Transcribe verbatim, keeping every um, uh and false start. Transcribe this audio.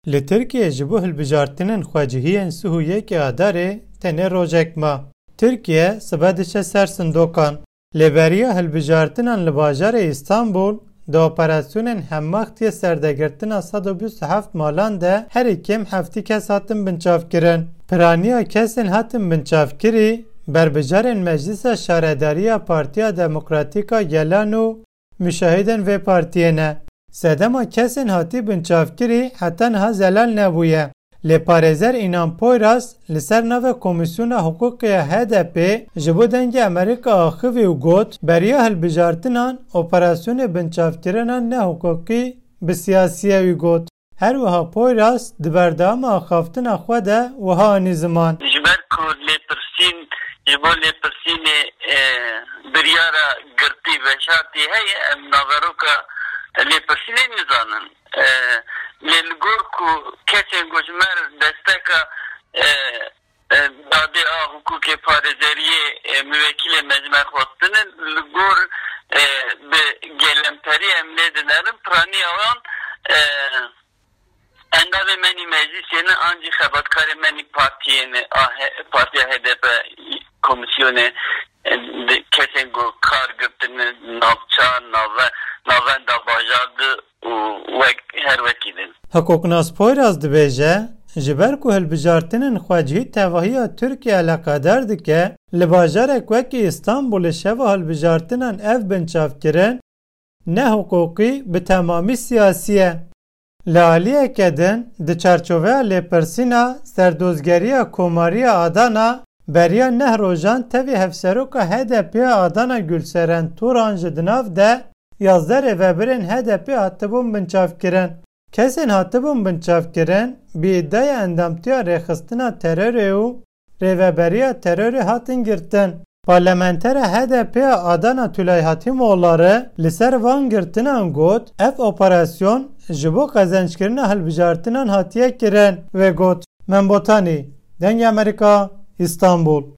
Li Tirkiyê ji bo hilbijartinên xwecihî yên sih û yekê Adarê tenê rojek ma. Tirkiye sibe diçe ser sindokan. Lê beriya hilbijartinan li bajarê Îstanbul, di operasyonên hemmaxtiyê serdegirtina sed û bîst û heft malan de herî kêm heftî kes hatin binçavkirin. Piraniya kesên hatin binçavkirî, berbijarên Meclisa Şaredariya Partiya Demokratîk a Gelan û muşahidên vê partiyê ne. Sedema kesên hatî binçavkirî heta niha zelal nebûye. Lê parêzer Înan Poyraz li ser navê Komîsyona Hiqûqê ya H D P ji bo Dengê Amerîka axivî û got, beriya hilbijartinan operasyonê binçavkirina nehiqûqî bi siyasî ye wî got. Her wiha Poyraz di berdewama axaftina xwe de wiha anî ziman. Ji ber ku lêpirsîn, ji bo lêpirsînê, e, biryara girtî veşartî heye, em naveroka lêpirsînê nizanin. E, lê li gor ku kesên ku ji me re desteka, e, e, dadê a hukukê parêzeriyê, e, muvekîlê me ji me xwestine, li gor, e, bi gelemperî em lê dinerin, piraniya wan, e, endamê me nî meclîsê ne, an jî xebatkarê me nî partiyê ne, a he-, partiya H D P komîsyonê, e, di kesên ku kar girtine navça, nave-, navenda bajar de û wek, her wekî din. Hiqûqnas Poyraz dibêje, ji ber ku hilbijartinên xwecihî tevahiya Tirkiye eleqedar dike, li bajarek wekî Îstanbulê şeva hilbijartinan ev binçavkirin nehiqûqî bi temamî siyasî ye. Li aliyeke din, di çarçoveya lêpirsîna serdozgeriya Komariya Adana, beriya neh rojan tevî hevseroka H D P ya Adana Gülseren Turan ji di nav de yazdeh rêvebirên H D P hatibûn binçavkirin. Kesên hatibûn binçavkirin, bi îdaya endamtiya rêxistina terorê û rêveberiya terorê hatin girtin. Parlamentera H D P ya Adana Tülay Hatimoğulları li ser van girtinan got, ev operasyon ji bo qezençkirina hilbijartinan hatiye kirin. Wê got, Membotanî, Dengê Amerîka, Îstanbul.